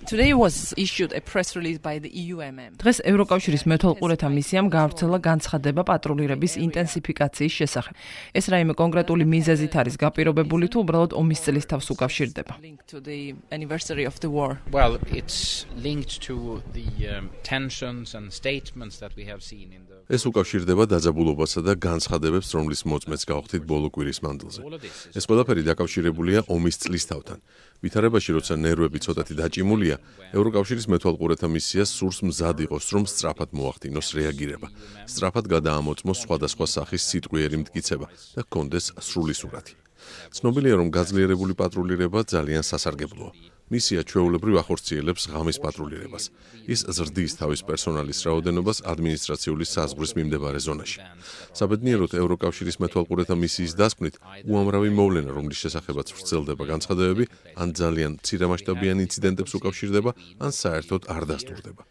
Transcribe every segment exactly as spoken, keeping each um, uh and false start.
Today was issued a press release by the E U M M. დღეს ევროკავშირის მეთვალყურეთა მისიამ გავრცელა განცხადება პატრულირების ინტენსიფიკაციის შესახებ. ეს რაიმე კონკრეტული მიზეზით არის გაპირობებული თუ უბრალოდ ომის წლის თავს უკავშირდება? To the anniversary of the war. Well, it's linked to the um, tensions and statements that we have seen in the ეს უკავშირდება დაძაბულობასა და განცხადებებს, რომლის მოწმეც გავხდით ბოლო კვირის მანძილზე. ეს ყველაფერი დაკავშირებულია ომის წლისთავთან. ვითარებაში, როცა ნერვები ცოტათი დაჭიმულია, ევროკავშირის მეთვალყურეთა მისიას სურს მზად იყოს, რომ სწრაფად მოახდინოს რეაგირება, სწრაფად გადაამოწმოს სხვადასხვა სახის სიტყვიერი მტკიცება და ჰქონდეს სრული სურათი. ცნობილია, რომ გაძლიერებული პატრულირება ძალიან სასარგებლოა. მისია ჩვეულებრივ ახორციელებს ღამის პატრულირებას. ის ზრდის თავის პერსონალის რაოდენობას ადმინისტრაციული საზღვრის მიმდებარე ზონაში. საბედნიეროდ, ევროკავშირის მეთვალყურეთა მისიის დასკვნით, უამრავი მოვლენა, რომლის შესახებაც ვრცელდება განცხადებები, ან ძალიან მცირემასშტაბიან ინციდენტებს უკავშირდება, ან საერთოდ არ დასტურდება.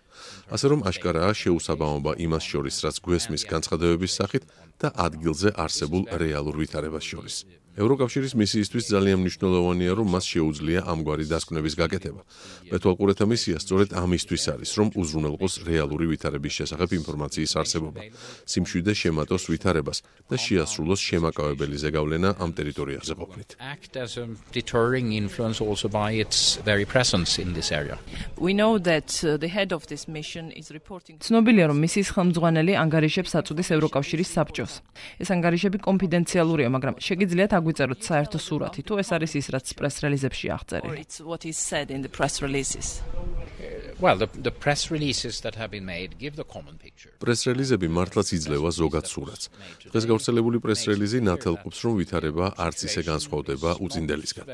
ასე რომ აშკარაა შეუსაბამობა იმას შორის, რაც გვესმის განცხადებების სახით და ადგილზე არსებულ რეალურ ვითარებას შორის. ევროკავშირის მისიისთვის ძალიან მნიშვნელოვანია, რომ მას შეუძლია ამგვარი დასკვნების გაკეთება. მეთვალყურეთა მისია სწორედ ამისთვის არის, რომ უზრუნველყოს რეალური ვითარების შესახებ ინფორმაციის არსებობა, სიმშვიდე შემატოს ვითარებას და შეასრულოს შემაკავებელი ზეგავლენა ამ ტერიტორიაზე ყოფნით. act as a deterring influence also by its very presence in this area. We know that uh, the head of this mission is reporting. ცნობილია, რომ მისიის ხელმძღვანელი ანგარიშებს აწვდის ევროკავშირის საბჭოს. ეს ანგარიშები კონფიდენციალურია, მაგრამ შეგიძლიათ აგვიწეროთ საერთო სურათი, თუ ეს არის ის, რაც პრეს რელიზებში აღწერილი. It's what is said in the press releases. Well, the, the press releases that have been made give the common picture. პრეს რელიზები მართლაც იძლევა ზოგად სურათს. დღეს გავრცელებული პრეს რელიზი ნათელყოფს, რომ ვითარება არც ისე განსხვავდება უწინდელისგან.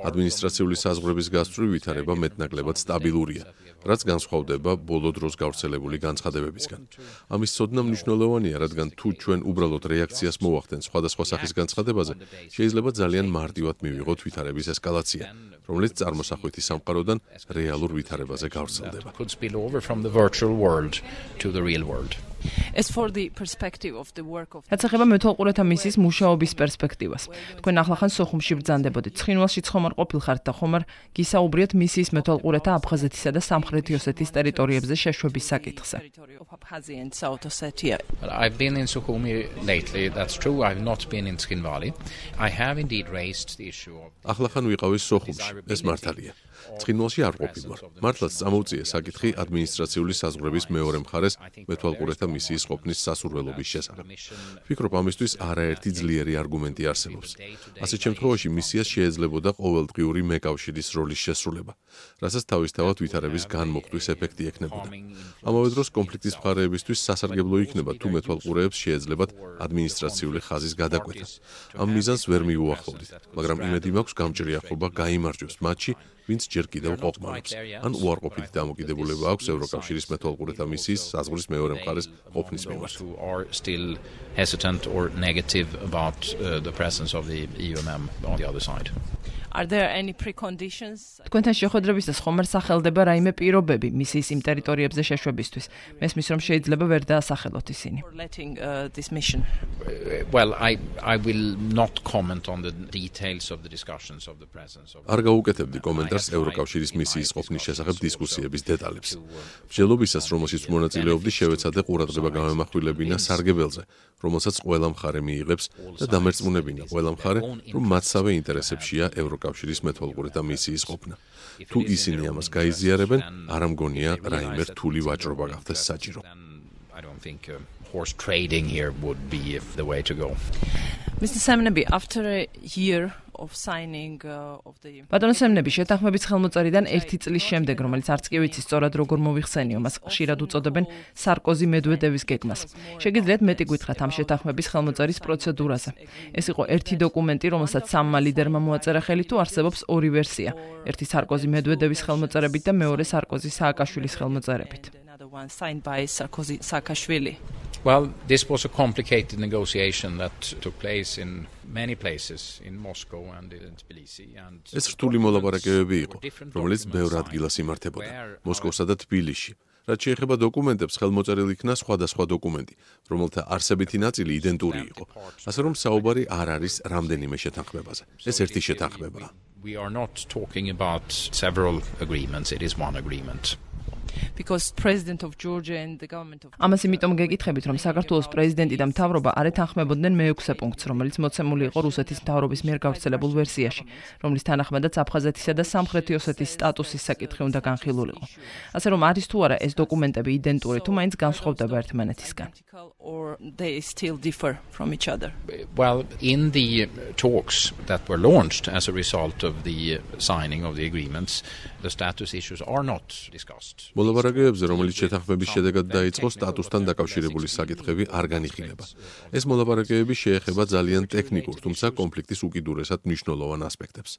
ადმინისტრაციული საზღვრების გასწვრივ ვითარება მეტნაკლებად სტაბილურია, რაც განსხვავდება ბოლო დროს გავრცელებული განცხადებებისგან. ამის ცოდნა მნიშვნელოვანია, რადგან თუ ჩვენ უბრალოდ რეაქციას მოვახდენთ სხვადასხვა სახის განცხადებაზე, შეიძლება ძალიან მარტივად მივიღოთ ვითარების ესკალაცია, რომელიც წარმოსახვითი სამყაროდან რეალურ ვითარებაზე გავრცელდება. Could spill over from the virtual world to the real world. As for the perspective of the work of რაც ეხება მეთვალყურეთა მისიის მუშაობის პერსპექტივას. თქვენ ახლახან სოხუმში ბრძანდებოდით. ცხინვალშიც ხომ არ ყოფილხართ და ხომ არ გისაუბრიათ მისიის მეთვალყურეთა აფხაზეთისა და სამხრეთი ოსეთის ტერიტორიებზე შეშვების საკითხზე. But I've been in Sukhumi lately. That's true. I've not been in Skinvali. I have indeed raised the issue of ახლახან ვიყავი სოხუმში. ეს მართალია. ცხინვალში არ ყოფილვარ. მართლაც წამოუწია საკითხი ადმინისტრაციული საზღვრების მეორე მხარეს მეთვალყურეთა მისიის ყოფნის სასურველობის შესახებ. ვფიქრობ, ამისთვის არაერთი ძლიერი არგუმენტი არსებობს. ასეთ შემთხვევაში მისიას შეეძლებოდა ყოველდღიური მეკავშირის როლის შესრულება, რასაც თავისთავად ვითარების განმოხტვის ეფექტი ექნებოდა. ამავე დროს კონფლიქტის მხარეებისთვის სასარგებლო იქნება, თუ მეთვალყურეებს შეეძლებათ ადმინისტრაციული ხაზის გადაკვეთა. ამ მიზანს ვერ მიუახლოვდით, მაგრამ იმედი მაქვს გამჭრიახობა გაიმარჯვებს მათში, ვინც ჯერ კიდევ ყოფნობს. ან უარყოფითი დამოკიდებულება აქვს ევროკავშირის მეთვალყურეთა მისიის საზღვრის მეორე მხარეს ყოფნის მიმართ. who are still hesitant or negative about uh, the presence of the E U M M on the other side. Are there any preconditions? თქვენთან შეხვედრებისას ხომ არ სახელდება რაიმე პირობები მისიის იმ ტერიტორიებზე შეშვებისთვის? მესმის, რომ შეიძლება ვერ დაასახელოთ ისინი. For letting uh, this mission. Uh, well, I I will not comment on the details of the discussions of the presence of. არ გაუკეთებდი კომენტარს ევროკავშირის მისიის ყოფნის შესახებ დისკუსიების დეტალებს. მსჯელობისას, რომელშიც მონაწილეობდი, შევეცადე ყურადღება გამემახვილებინა სარგებელზე, რომელსაც ყველა მხარე მიიღებს და დამერწმუნებინა ყველა მხარე, რომ მათსავე ინტერესებშია ევროკავშირის მეთვალყურეთა მისიის ყოფნა. თუ ისინი ამას გაიზიარებენ, არ ამგონია რაიმე რთული ვაჭრობა გახდეს საჭირო. I don't think uh, horse trading here would be the way to go. Mister Semneby, after a year of signing uh, of the ბატონო სემნები, შეთანხმების ხელმოწერიდან ერთი წლის შემდეგ, რომელიც არც კი ვიცი სწორად როგორ მოვიხსენიო, მას ხშირად უწოდებენ სარკოზი-მედვედევის გეგმას. შეგიძლიათ მეტი გითხრათ ამ შეთანხმების ხელმოწერის პროცედურაზე. ეს იყო ერთი დოკუმენტი, რომელსაც სამმა ლიდერმა მოაწერა ხელი, თუ არსებობს ორი ვერსია. ერთი სარკოზი-მედვედევის ხელმოწერებით და მეორე სარკოზი-სააკაშვილის ხელმოწერებით. another one signed by Sarkozy Saakashvili. Well, this was a complicated negotiation that took place in many places in Moscow and in Tbilisi and ეს რთული მოლაპარაკებები იყო, რომელიც ბევრ ადგილას იმართებოდა, მოსკოვსა და თბილისში. რაც შეეხება დოკუმენტებს, ხელმოწერილი იქნა სხვადასხვა დოკუმენტი, რომელთა არსებითი ნაწილი იდენტური იყო. ასე რომ საუბარი არ არის რამდენიმე შეთანხმებაზე. ეს ერთი შეთანხმებაა. We are not talking about several agreements, it is one agreement. Because president of Georgia and the government of ამას იმიტომ გეკითხებით, რომ საქართველოს პრეზიდენტი და მთავრობა არ ეთანხმებოდნენ მეექვსე პუნქტს, რომელიც მოცემული იყო რუსეთის მთავრობის მიერ გავრცელებულ ვერსიაში, რომლის თანახმადაც აფხაზეთისა და სამხრეთი ოსეთის სტატუსის საკითხი უნდა განხილულიყო. ასე რომ არის თუ არა ეს დოკუმენტები იდენტური თუ მაინც განსხვავდება ერთმანეთისგან. or they still differ from each other. Well, in the talks that were launched as a result of the signing of the agreements, the status issues are not discussed. მოლაპარაკებებზე, რომელიც შეთანხმების შედეგად დაიწყო, სტატუსთან დაკავშირებული საკითხები არ განიხილება. ეს მოლაპარაკებები შეეხება ძალიან ტექნიკურ, თუმცა კონფლიქტის უკიდურესად მნიშვნელოვან ასპექტებს.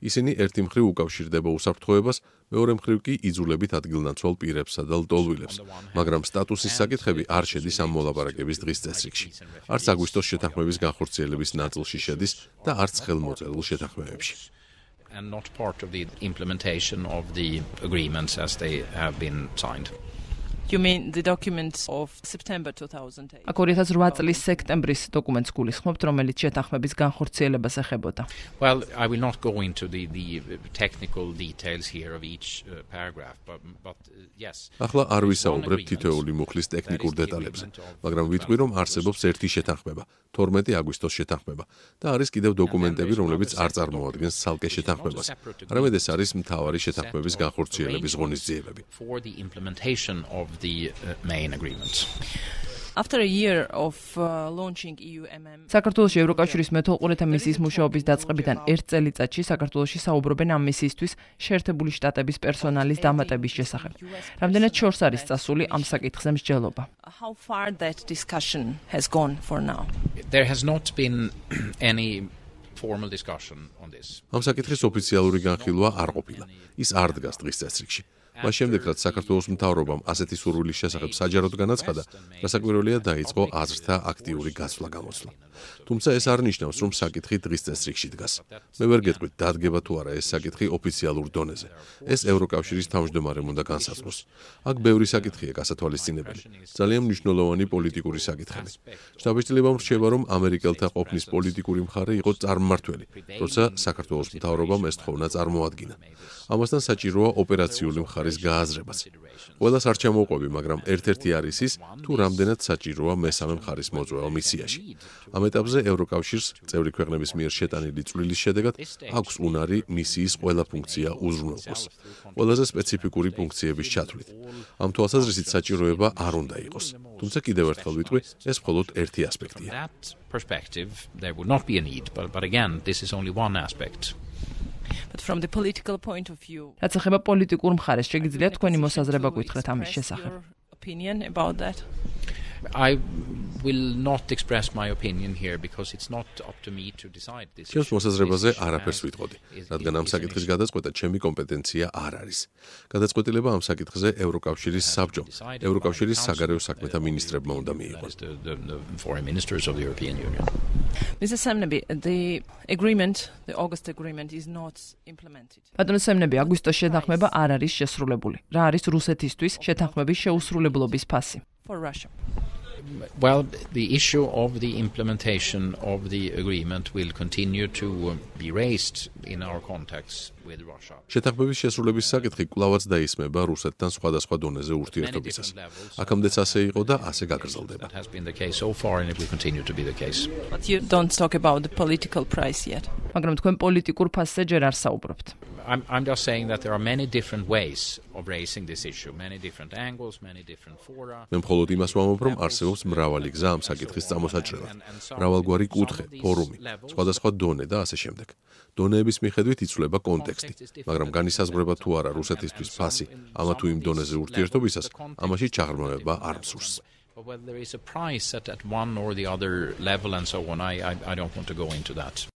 ისინი ერთი მხრივ უკავშირდება უსაფრთხოებას, მეორე მხრივ კი იძულებით ადგილნაცვალ პირებსა და ლტოლვილებს, მაგრამ სტატუსის საკითხები არ შედის ამ მოლაპარაკების დღის წესრიგში. არც აგვისტოს შეთანხმების განხორციელების ნაწილში შედის და არც ხელმოწერულ შეთანხმებებში. And not part of the implementation of the agreements as they have been signed. You mean the documents of September two thousand eight? აქ ორი ათას ოთხ წლის სექტემბრის დოკუმენტს გულისხმობთ, რომელიც შეთანხმების განხორციელებას ეხებოდა. Well, I will not go into the the technical details here of each uh, paragraph, but but uh, yes. ახლა არ ვისაუბრებ თითოეული მუხლის ტექნიკურ დეტალებზე, მაგრამ ვიტყვი, რომ არსებობს ერთი შეთანხმება, თორმეტი აგვისტოს შეთანხმება და არის კიდევ დოკუმენტები, რომლებიც არ წარმოადგენს ცალკე შეთანხმებას. არამედ ეს არის მთავარი შეთანხმების განხორციელების ღონისძიებები. For the implementation of the uh, main agreements. After a year of uh, launching E U M M, საქართველოში ევროკავშირის მეთვალყურეთა მისიის მუშაობის დაწყებიდან ერთ წელიწადში საქართველოში საუბრობენ ამ მისიისთვის შეერთებული შტატების პერსონალის დამატების შესახებ. რამდენად შორს არის წასული ამ საკითხზე მსჯელობა? how far that discussion has gone for now? There has not been any formal discussion on this. ამ საკითხის ოფიციალური განხილვა არ ყოფილა. ის არ დგას დღის წესრიგში. მას შემდეგ, რაც საქართველოს მთავრობამ ასეთი სურვილის შესახებ საჯაროდ განაცხადა, რასაკვირველია დაიწყო აზრთა აქტიური გაცვლა-გამოცვლა. თუმცა ეს არ ნიშნავს, რომ საკითხი დღის წესრიგში დგას. მე ვერ გეტყვით, დადგება თუ არა ეს საკითხი ოფიციალურ დონეზე. ეს ევროკავშირის თავმჯდომარემ უნდა განსაზღვროს. აქ ბევრი საკითხია გასათვალისწინებელი. ძალიან მნიშვნელოვანი პოლიტიკური საკითხები. შთაბეჭდილებამ რჩება, რომ ამერიკელთა ყოფნის პოლიტიკური მხარე იყო წარმმართველი, როცა საქართველოს მთავრობამ ეს თხოვნა წარმოადგინა. ამასთან საჭიროა ოპერაციული მხარის გააზრებაც. ყველას არ ჩამოვყვები, მაგრამ ერთ-ერთი არის ის, თუ რამდენად საჭიროა მესამე მხარის მოწვევა მისიაში. ამ ეტაპზე ევროკავშირს წევრი ქვეყნების მიერ შეტანილი წვლილის შედეგად აქვს უნარი მისიის ყველა ფუნქცია უზრუნველყოს. ყველაზე სპეციფიკური ფუნქციების ჩათვლით. ამ თვალსაზრისით საჭიროება არ უნდა იყოს. თუმცა კიდევ ერთხელ ვიტყვი, ეს მხოლოდ ერთი ასპექტია. That perspective, there would not be a need, but, but again, this is only one aspect. But from the political point of view, რაც ეხება პოლიტიკურ მხარეს, შეგიძლიათ თქვენი მოსაზრება გითხრათ ამის შესახებ. opinion about that? I will not express my opinion here because it's not up to me to decide this. ჩემს მოსაზრებაზე არაფერს ვიტყოდი, რადგან ამ საკითხის გადაწყვეტა ჩემი კომპეტენცია არ არის. გადაწყვეტილება ამ საკითხზე ევროკავშირის საბჭომ, ევროკავშირის საგარეო საქმეთა მინისტრებმა უნდა მიიღოს. The, the, the foreign ministers of the European Union. Mister Semneby, the agreement, the August agreement is not implemented. ბატონო სემნები, აგვისტოს შეთანხმება არ არის შესრულებული. რა არის რუსეთისთვის შეთანხმების შეუსრულებლობის ფასი? For Russia. Well, the issue of the implementation of the agreement will continue to be raised in our contacts with Russia. შეთანხმების შესრულების საკითხი კვლავაც დაისმება რუსეთთან სხვადასხვა დონეზე ურთიერთობისას. აქამდეც ასე იყო და ასე გაგრძელდება. That has been the case so far and it will continue to be the case. But you don't talk about the political price yet. მაგრამ თქვენ პოლიტიკურ ფასზე ჯერ არ საუბრობთ. I'm, I'm just saying that there are many different ways of raising this issue, many different angles, many different fora. მე მხოლოდ იმას ვამბობ, რომ არსებობს მრავალი გზა ამ საკითხის წამოსაჭრელად. მრავალგვარი კუთხე, ფორუმი, სხვადასხვა დონე და ასე შემდეგ. დონეების მიხედვით იცვლება კონტექსტი, მაგრამ განისაზღვრება თუ არა რუსეთისთვის ფასი ამა თუ იმ დონეზე ურთიერთობისას, ამაში ჩაღრმავება არ მსურს. But whether there is a price at, at one or the other level and so on, I, I, I don't want to go into that.